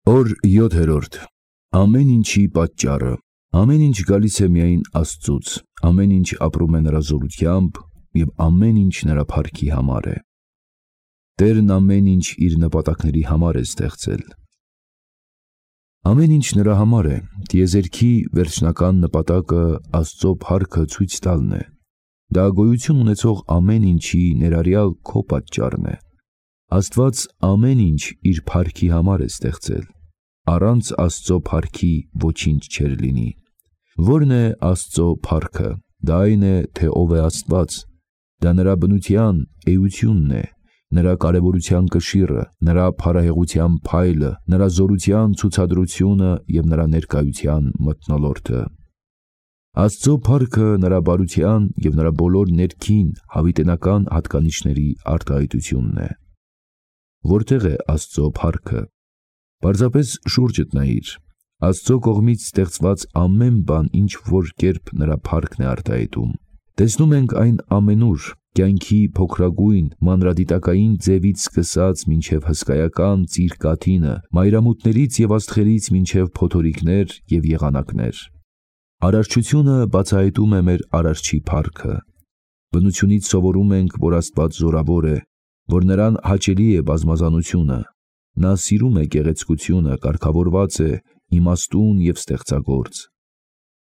Օր 7-րդ. Ամեն ինչի պատճառը։ Ամեն ինչ գալիս է միայն Աստծուց, ամեն ինչ ապրում է նրա զորությամբ և ամեն ինչ նրա փառքի համար է։ Տերն ամեն ինչ իր նպատակների համար է ստեղծել։ Ամեն ինչ նրա համար է, տիեզերքի վերջնական նպատակը Աստծո փառքը ցույց տալն է։ Դա գոյություն ունեցող ամեն ինչի ներառյալ քո պատճառն է։ Աստված ամեն ինչ իր փառքի համար է ստեղծել։ Առանց Աստծո փառքի ոչինչ չէր լինի։ Ո՞րն է Աստծո փառքը։ Դա այն է, թե ով է Աստված։ Դա նրա բնության էությունն է, նրա կարևորության կշիռը, նրա փառահեղության փայլը, նրա զորության ցուցադրությունը և նրա ներկայության մթնոլորտը։ Աստծո փառքը նրա բարության և նրա բոլոր ներքին հավիտենական հատկանիշների արտահայտությունն է։ Որտե՞ղ է Աստծո փառքը։ Պարզապես շուրջդ նայիր։ Աստծո կողմից ստեղծված ամեն բան ինչ-որ կերպ նրա փառքն է արտահայտում։ Տեսնում ենք այն ամենուր, կյանքի փոքրագույն, մանրադիտակային ձևից սկսած մինչև հսկայական ծիր կաթինը, մայրամուտներից և աստղերից մինչև փոթորիկներ և եղանակներ։ Արարչությունը բացահայտում է մեր Արարչի փառքը։ Բնությունից սովորում ենք, որ Աստված զորավոր է, որ նրան հաճելի է բազմազանությունը։ Նա սիրում է գեղեցկությունը, կարգավորված է, իմաստուն և ստեղծագործ։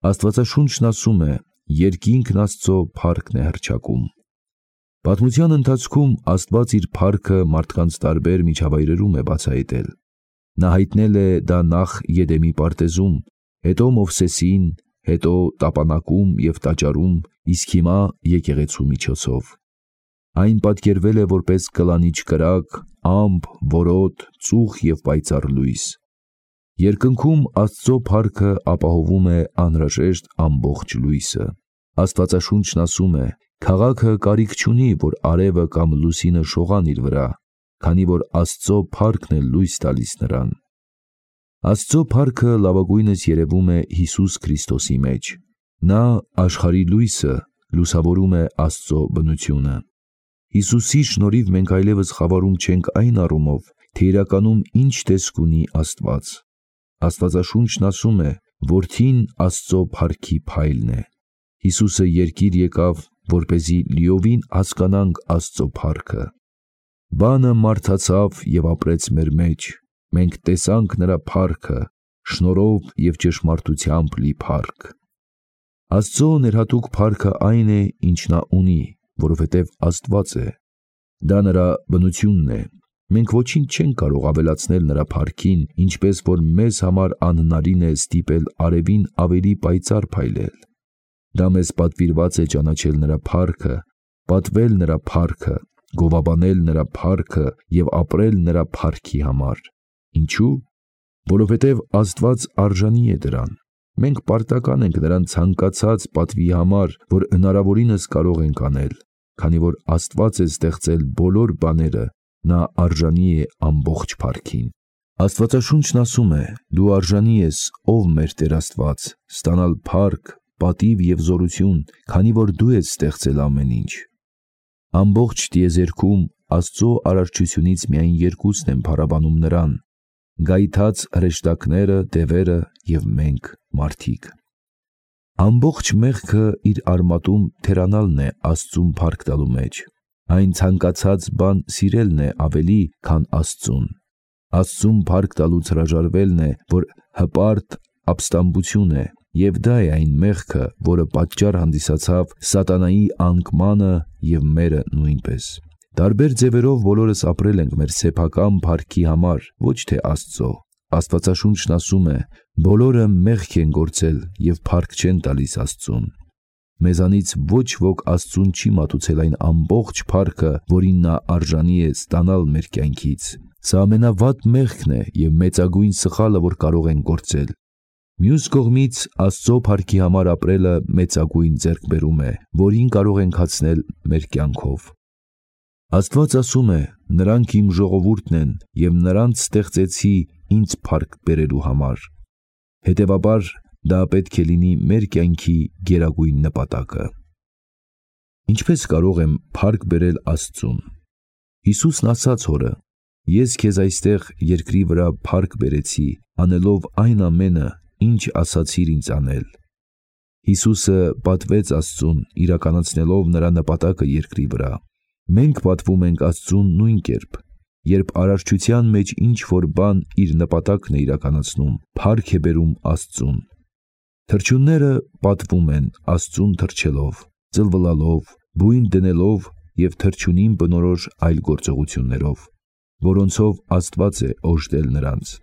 Աստվածաշունչն ասում է. երկինքն Աստծո փառքն է հռչակում։ Պատմության ընթացքում Աստված իր փառքը մարդկանց տարբեր միջավայրերում է բացահայտել։ Նա հայտնել է դա նախ Եդեմի պարտեզում, հետո Մովսեսին, հետո տապանակում և տաճարում, իսկ հիմա եկեղեցու միջոցով։ Այն պատկերվել է որպես կլանիչ կրակ, ամպ, որոտ, ծուխ և պայծառ լույս։ Երկնքում Աստծո փառքը ապահովում է անհրաժեշտ ամբողջ լույսը։ Աստվածաշունչն ասում է. քաղաքը կարիք չունի, որ արևը կամ լուսինը շողան իր վրա, քանի որ Աստծո փառքն է լույս տալիս նրան։ Աստծո փառքը լավագույնս երևում է Հիսուս Քրիստոսի մեջ։ Նա աշխարհի լույսը լուսավորում է Աստծո բնությունը։ Հիսուսի շնորհիվ մենք այլևս խավարում չենք այն առումով, թե իրականում ինչ տեսք ունի Աստված։ Աստվածաշունչն ասում է. Որդին Աստծո փառքի փայլն է։ Հիսուսը երկիր եկավ, որպեսզի լիովին հասկանանք Աստծո փառքը։ Բանը մարդացավ և ապրեց մեր մեջ։ Մենք տեսանք նրա փառքը, շնորհով և ճշմարտությամբ լի փառք։ Աստծո ներհատուկ փառքը այն է, ինչ նա ունի, որովհետև Աստված է։ Դա նրա բնությունն է։ Մենք ոչինչ չենք կարող ավելացնել նրա փառքին, ինչպես որ մեզ համար անհնարին է ստիպել արևին ավելի պայծառ փայլել։ Դա մեզ պատվիրված է ճանաչել նրա փառքը, պատվել նրա փառքը, գովաբանել նրա փառքը և ապրել նրա փառքի համար։ Ինչու՞։ Որովհետև Աստված արժանի է դրան։ Մենք պարտական ենք նրան ցանկացած պատվի համար, որ հնարավորինս կարող ենք անել։ Քանի որ Աստված է ստեղծել բոլոր բաները, նա արժանի է ամբողջ փառքին։ Աստվածաշունչն ասում է. դու արժանի ես, ով մեր Տեր Աստված, ստանալ փառք, պատիվ և զորություն, քանի որ դու ես ստեղծել ամեն ինչ։ Ամբողջ տիեզերքում Աստծո արարչությունից միայն երկուսն են փառաբանում նրան. գայթած հրեշտակները, դևերը և մենք, մարդիկ։ Ամբողջ մեղքը իր արմատում թերանալն է Աստծուն փառք տալու մեջ։ Այն ցանկացած բան սիրելն է ավելի, քան Աստծուն։ Աստծուն փառք տալուց հրաժարվելն է, որ հպարտ ապստամբություն է, և դա է այն մեղքը, որը պատճառ հանդիսացավ սատանայի անկմանը և մերը նույնպես։ Տարբեր ձևերով բոլորս ապրել ենք մեր սեփական փառքի համար, ոչ թե Աստծո։ Աստվածաշունչն ասում է. բոլորը մեղք են գործել և փառք չեն տալիս Աստծուն։ Մեզանից ոչ ոք Աստծուն չի մատուցել այն ամբողջ փառքը, որին նա արժանի է ստանալ մեր կյանքից։ Սա ամենավատ մեղքն է և մեծագույն սխալը, որ կարող ենք գործել։ Մյուս կողմից Աստծո փառքի համար ապրելը մեծագույն ձեռքբերում է, որին կարող ենք հասնել մեր կյանքով։ Աստված ասում է. նրանք իմ ժողովուրդն են, և նրանց ստեղծեցի ինձ փառք բերելու համար։ Հետևաբար դա պետք է լինի մեր կյանքի գերագույն նպատակը։ Ինչպե՞ս կարող եմ փառք բերել Աստծուն։ Հիսուսն ասաց Հորը. Ես քեզ այստեղ երկրի վրա փառք բերեցի, անելով այն ամենը, ինչ ասացիր ինձ անել։ Հիսուսը պատվեց Աստծուն, իրականացնելով նրա նպատակը երկրի վրա։ Մենք պատվում ենք Աստծուն նույն կերպ։ Երբ արարչության մեջ ինչ որ բան իր նպատակն է իրականացնում, փառք է բերում Աստծուն։ Թռչունները պատվում են Աստծուն թռչելով, ծլվլալով, բույն դնելով և թռչունին բնորոշ այլ գործողություններով, որոնցով Աստված է օժտել նրանց։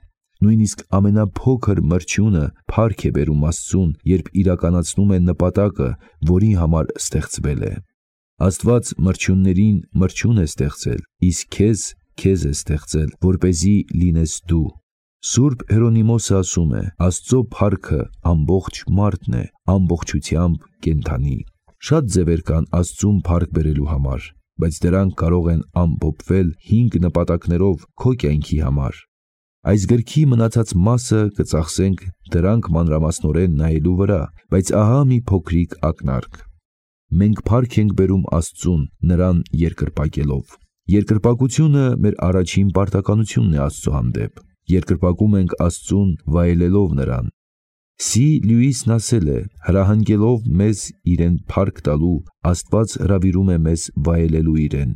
Նույնիսկ ամենափոքր մրջյունը փառք է բերում Աստծուն, երբ իրականացնում է նպատակը, որի համար ստեղծվել է։ Աստված մրջյուններին մրջյուն է ստեղծել, իսկ քեզ է ստեղծել, որպեսզի լինես դու։ Սուրբ Հերոնիմոսը ասում է. Աստծո փառքը ամբողջ մարդն է, ամբողջությամբ կենդանի։ Շատ ձևեր կան Աստծուն փառք բերելու համար, բայց դրանք կարող են ամփոփվել 5 նպատակներով քո կյանքի համար։ Այս գրքի մնացած մասը կծախսենք դրանք մանրամասնորեն նայելու վրա, բայց ահա մի փոքրիկ ակնարկ։ Մենք փառք ենք բերում Աստծուն, նրան երկրպագելով։ Երկրպագությունը մեր առաջին պարտականությունն է Աստծո հանդեպ։ Երկրպագում ենք Աստծուն վայելելով նրան։ C. Լյուիսն ասել է. հրահանգելով մեզ իրեն փառք տալու, Աստված հրավիրում է մեզ վայելելու իրեն։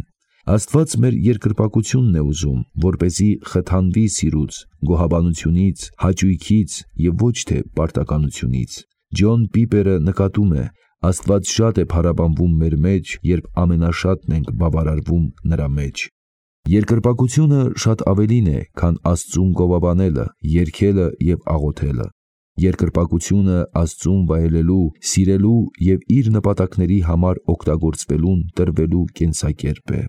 Աստված մեր երկրպագությունն է ուզում, որպեսզի խթանվի սիրուց, գոհաբանությունից, հաճույքից և ոչ թե պարտականությունից։ Ջոն Պիպերը նկատում է. Աստված շատ է փառաբանվում մեր մեջ, երբ ամենաշատն ենք բավարարվում նրա մեջ։ Երկրպագությունը շատ ավելին է, քան Աստծուն գովաբանելը, երգելը և աղոթելը։ Երկրպագությունը Աստծուն վայելելու, սիրելու և իր նպատակների համար օգտագործվելուն տրվելու կենսակերպ է։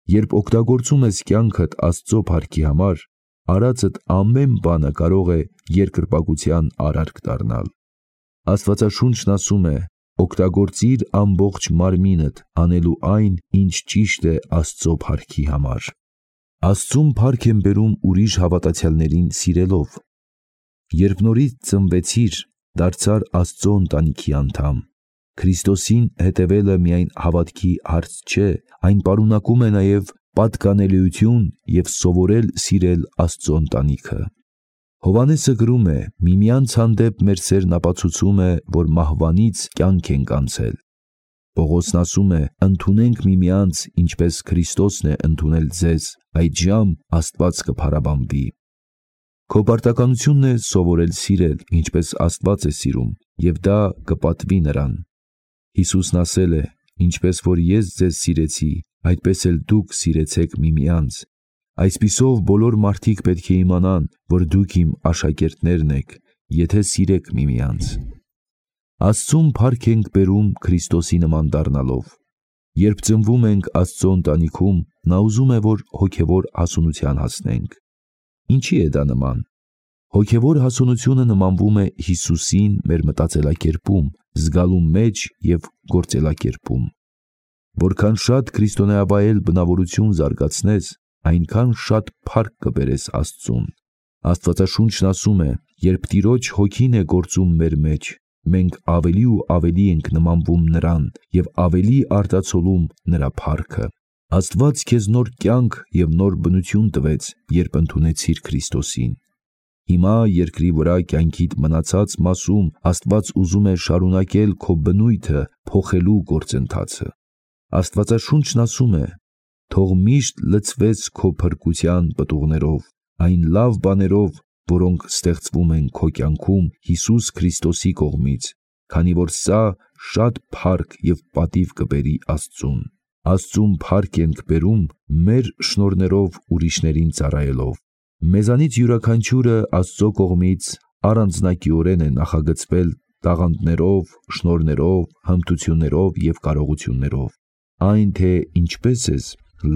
Երբ օգտագործում ես կյանքդ Աստծո փառքի համար, արածդ ամեն բանը կարող է երկրպագության արարք դառնալ։ Աստվածաշունչն ասում է. օգտագործիր ամբողջ մարմինդ, անելու այն, ինչ ճիշտ է Աստծո փառքի համար։ Աստծուն փառք են բերում ուրիշ հավատացյալներին սիրելով։ Երբ նորից ծնվեցիր, դարձար Աստծո ընտանիքի անդամ։ Քրիստոսին հետևելը միայն հավատքի հարց չէ, այն պարունակում է նաև պատկանելիություն և սովորել սիրել Աստծո ընտանիքը։ Հովհաննեսը գրում է. միմյանց հանդեպ մեր սերն ապացուցում է, որ մահվանից կյանք ենք անցել։ Պողոսն ասում է. ընդունենք միմյանց, ինչպես Քրիստոսն է ընդունել ձեզ, այդժամ Աստված կփառաբանվի։ Քո պարտականությունն է սովորել սիրել, ինչպես Աստված է սիրում, և դա կպատվի նրան։ Հիսուսն ասել է. ինչպես որ ես ձեզ սիրեցի, այդպես էլ դուք սիրեցեք միմյանց։ Այսպիսով բոլոր մարդիկ պետք է իմանան, որ դուք իմ աշակերտներն եք, եթե սիրեք միմյանց։ Աստծուն փառք ենք բերում Քրիստոսի նման դառնալով։ Երբ ծնվում ենք Աստծո ընտանիքում, նա ուզում է, որ հոգևոր հասունության հասնենք։ Ինչի է դա նման։ Հոգևոր հասունությունը նմանվում է Հիսուսին մեր մտածելակերպում, զգալու մեջ և գործելակերպում։ Որքան շատ քրիստոնեավայել բնավորություն զարգացնես, այնքան շատ փառք կբերես Աստծուն։ Աստվածաշունչն ասում է. երբ Տիրոջ հոգին է գործում մեր մեջ, մենք ավելի ու ավելի ենք նմանվում նրան և ավելի արտացոլում նրա փառքը։ Աստված քեզ նոր կյանք և նոր բնություն տվեց, երբ ընդունեցիր Քրիստոսին։ Հիմա երկրի վրա կյանքիդ մնացած մասում Աստված ուզում է շարունակել քո բնույթը փոխելու գործընթացը։ Աստվածաշունչն ասում է. թող միշտ լցվես քո փրկության պտուղներով, այն լավ բաներով, որոնք ստեղծվում են քո կյանքում Հիսուս Քրիստոսի կողմից, քանի որ սա շատ փառք և պատիվ կբերի Աստծուն։ Աստծուն փառք ենք բերում մեր շնորհներով ուրիշներին ծառայելով։ Մեզանից յուրաքանչյուրը Աստծո կողմից առանձնակիորեն է նախագծվել տաղանդներով, շնորհներով, հմտություններով և կարողություններով։ Այն, թե ինչպես ես,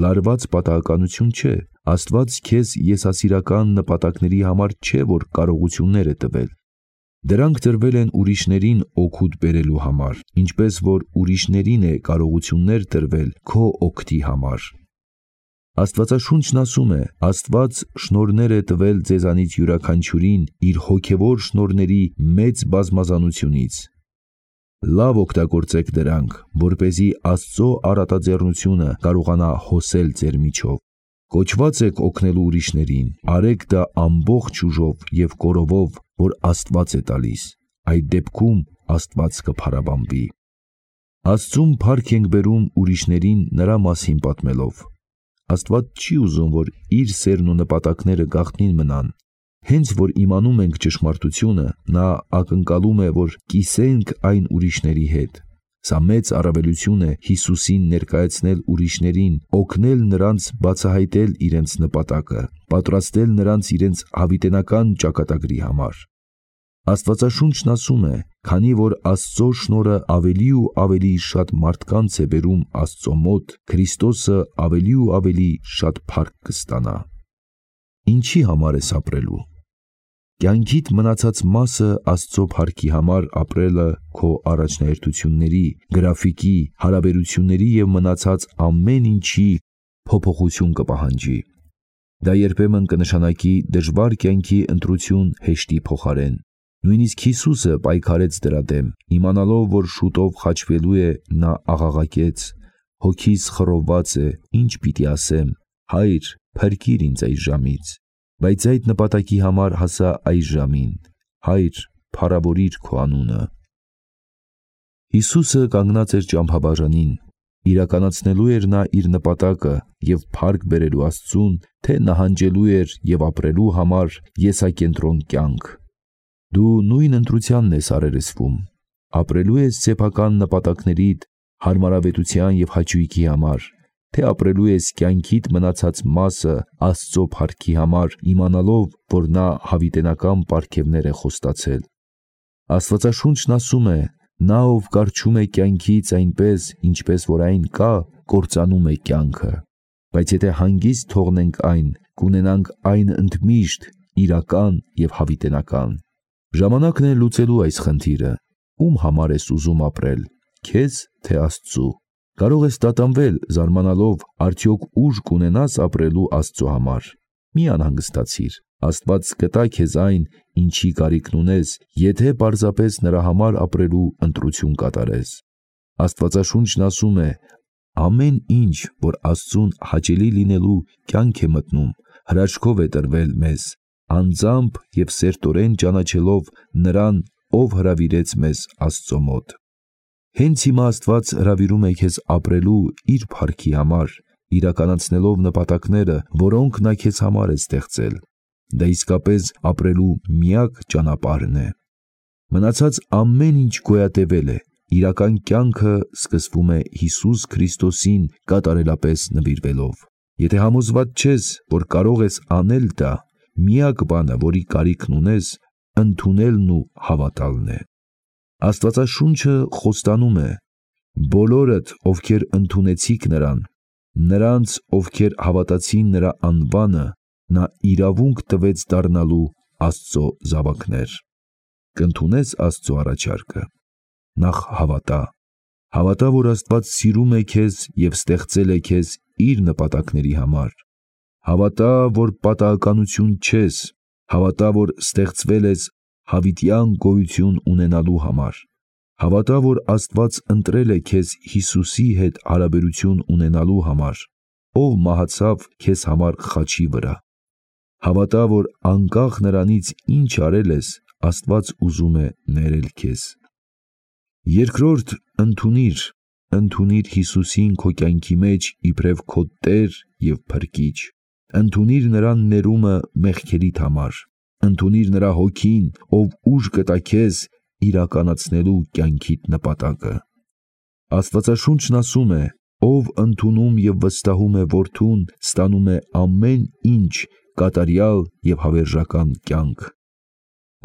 լարված պատահականություն չէ։ Աստված քեզ եսասիրական նպատակների համար չէ, որ կարողություններ է տվել։ Դրանք տրվել են ուրիշներին օգուտ բերելու համար, ինչպես որ ուրիշներին է կարողություններ տրվել քո օգտի համար։ Աստվածաշունչն ասում է. Աստված շնորհներ է տվել ձեզանից յուրաքանչյուրին իր հոգևոր շնորհների մեծ բազմազանությունից։ Լավ օգտագործեք դրանք, որպեսզի Աստծո առատաձեռնությունը կարողանա հոսել ձեր միջով։ Կոչված եք օգնելու ուրիշներին, արեք դա ամբողջ ուժով և կորովով, որ Աստված է տալիս, այդ դեպքում Աստված կփարաբանվի։ Աստծուն փառք ենք բերում ուրիշներին նրա մասին պատմելով։ Աստված չի ուզում, որ իր սերն ու նպատակները գաղտնին մնան։ Հենց որ իմանում ենք ճշմարտությունը, նա ակնկալում է, որ կիսենք այն ուրիշների հետ։ Սա մեծ առավելություն է Հիսուսին ներկայացնել ուրիշներին, օգնել նրանց բացահայտել իրենց նպատակը, պատրաստել նրանց իրենց հավիտենական ճակատագրի համար։ Աստվածաշունչն ասում է, քանի որ Աստծո շնորհը ավելի ու ավելի շատ մարդկանց է բերում Աստծո մոտ, Քրիստոսը ավելի ու ավելի շատ փառք կստանա։ Ինչի համար ես ապրելու։ Կյանքիդ մնացած մասը Աստծո փառքի համար ապրելը քո առաջնահերթությունների, գրաֆիկի, հարաբերությունների և մնացած ամեն ինչի փոփոխություն կպահանջի։ Դա երբեմն կնշանակի դժվար կյանքի ընտրություն հեշտի փոխարեն։ Նույնիսկ Հիսուսը պայքարեց դրա դեմ, իմանալով, որ շուտով խաչվելու է, նա աղաղակեց. «Հոգիս խռովված է, ինչ պիտի ասեմ, Հայր, փրկիր ինձ այս ժամից»։ Բայց այդ նպատակի համար հասա այս ժամին, Հայր, փառավորիր քո անունը։ Հիսուսը կանգնած էր ճամփաբաժանին, իրականացնելու էր նա իր նպատակը և փառք բերելու Աստծուն, թե նահանջելու էր և ապրելու համար եսակենտրոն կյանք։ Դու նույն ընտրությանն ես առերեսվում, ապրելու ես սեփական նպատակներիդ, հարմարավետության և հաճույքի համար, թե ապրելու ես կյանքիդ մնացած մասը Աստծո փառքի համար, իմանալով, որ նա հավիտենական պարգևներ է խոստացել։ Աստվածաշունչն ասում է. նա, ով կառչում է կյանքից այնպես, ինչպես որ այն կա, կործանում է կյանքը, բայց եթե հանգիստ թողնենք այն, կունենանք այն ընդմիշտ, իրական և հավիտենական։ Ժամանակն է լուծելու այս խնդիրը։ Ում համար ես ուզում ապրել, քեզ թե Աստծու։ Կարող ես տատանվել, զարմանալով, արդյոք ուժ կունենաս ապրելու Աստծո համար։ Մի անհանգստացիր, Աստված կտա քեզ այն, ինչի կարիքն ունես, եթե պարզապես նրա համար ապրելու ընտրություն կատարես։ Աստվածաշունչն ասում է. ամեն ինչ, որ Աստծուն հաճելի լինելու կյանք է մտնում, հրաշքով է տրվել մեզ, անձամբ և սերտորեն ճանաչելով նրան, ով հրավիրեց մեզ Աստծո մոտ։ Հենց հիմա Աստված հրավիրում է քեզ ապրելու իր փառքի համար, իրականացնելով նպատակները, որոնք նա քեզ համար է ստեղծել։ Դա իսկապես ապրելու միակ ճանապարհն է։ Մնացած ամեն ինչ գոյատևել է, իրական կյանքը սկսվում է Հիսուս Քրիստոսին կատարելապես նվիրվելով։ Եթե համոզված չես, որ կարող ես անել դա, միակ բանը, որի կարիքն ունես, ընդունելն ու հավատալն է։ Աստվածաշունչը խոստանում է. բոլորդ, ովքեր ընդունեցիք նրան, նրանց, ովքեր հավատացին նրա անվանը, նա իրավունք տվեց դառնալու Աստծո զավակներ։ Կընդունես Աստծո առաջարկը։ Նախ հավատա, որ Աստված սիրում է քեզ և ստեղծել է քեզ իր նպատակների համար։ Հավատա, որ պատահականություն չես, հավատա, որ ստեղծվել ես հավիտյան գոյություն ունենալու համար։ Հավատա, որ Աստված ընտրել է քեզ Հիսուսի հետ հարաբերություն ունենալու համար, ով մահացավ քեզ համար խաչի վրա։ Հավատա, որ անկախ նրանից ինչ արել ես, Աստված ուզում է ներել քեզ։ Երկրորդ, ընդունիր Հիսուսին քո կյանքի մեջ իբրև քո Տեր և Փրկիչ։ Ընդունիր նրան ներումը մեղքերիդ համար։ Ընդունիր նրա հոգին, ով ուժ կտա քեզ իրականացնելու կյանքիդ նպատակը։ Աստվածաշունչն ասում է. ով ընդունում և վստահում է Որդուն, ստանում է ամեն ինչ, կատարյալ և հավերժական կյանք։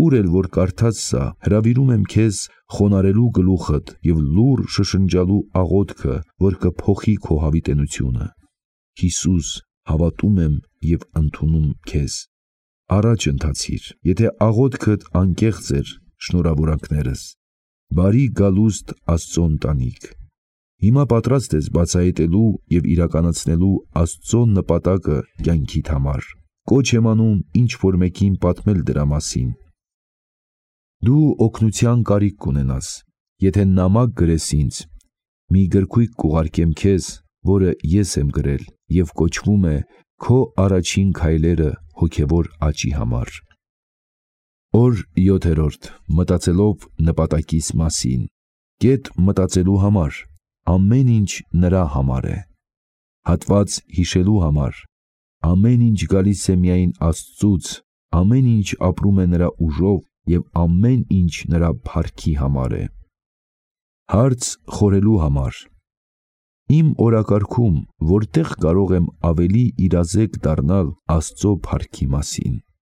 Ուր էլ որ կարդաս սա, հրավիրում եմ քեզ խոնարհելու գլուխդ և լուռ շշնջալու աղոթքը, որ կփոխի քո հավիտենությունը։ Հիսուս, հավատում եմ և ընդունում քեզ։ Առաջ ընթացիր, եթե աղոթքդ անկեղծ էր, շնորհավորանքներս։ Բարի գալուստ Աստծո ընտանիք։ Հիմա պատրաստ ես բացահայտելու և իրականացնելու Աստծո նպատակը կյանքիդ համար։ Կոչ եմ անում ինչ-որ մեկին պատմել դրա մասին։ Դու օգնության կարիք կունենաս։ Եթե նամակ գրես ինձ, մի գրքույկ կուղարկեմ քեզ, որը ես եմ գրել և կոչվում է քո առաջին քայլերը հոգևոր աճի համար։ Օր 7. Մտածելով նպատակիս մասին։ Կետ մտածելու համար։ Ամեն ինչ նրա համար է։ Հատված հիշելու համար։ Ամեն ինչ գալիս է միայն Աստծուց, ամեն ինչ ապրում է նրա ուժով և ամեն ինչ նրա փառքի համար է։ Հարց խորելու համար։ Իմ օրակարգում որտեղ կարող եմ ավելի իրազեկ դառնալ Աստծո փառքի մասին։